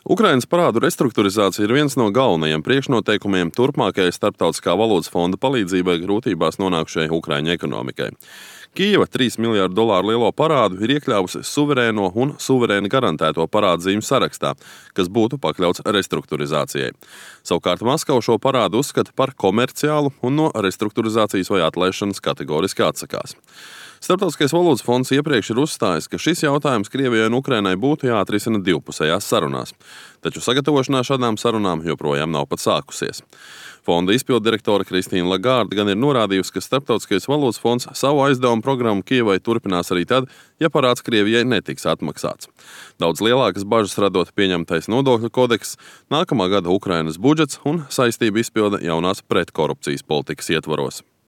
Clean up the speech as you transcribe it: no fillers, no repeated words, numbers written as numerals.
Ukrainas parādu restruktūrizācija ir viens no galvenajiem priekšnoteikumiem turpmākajai Starptautiskā valūtas fonda palīdzībai grūtībās nonākušai Ukraiņu ekonomikai. Kijeva $3 miljardu lielo parādu ir iekļāvusi suverēno un suverēni garantēto parādzīmju sarakstā, kas būtu pakļauts restruktūrizācijai. Savukārt Maskava šo parādu uzskata par komerciālu un no restruktūrizācijas vai atlaišanas kategoriski atsakās. Starptautiskais valūtas fonds iepriekš ir uzstājis, ka šis jautājums Krievijai un Ukrainai būtu jāatrisina divpusējās sarunās, taču sagatavošanās šādām sarunām joprojām nav pat sākusies. Fonda izpilddirektore Kristīna Lagarde gan ir norādījusi, ka Starptautiskais valūtas fonds savu aizdevumu programmu Kijevai turpinās arī tad, ja parāds Krievijai netiks atmaksāts. Daudz lielākas bažas radot pieņemtais nodokļu kodeks, nākamā gada Ukrainas budžets un saistību izpilde jaunās pretkorupcijas politikas ietvaros.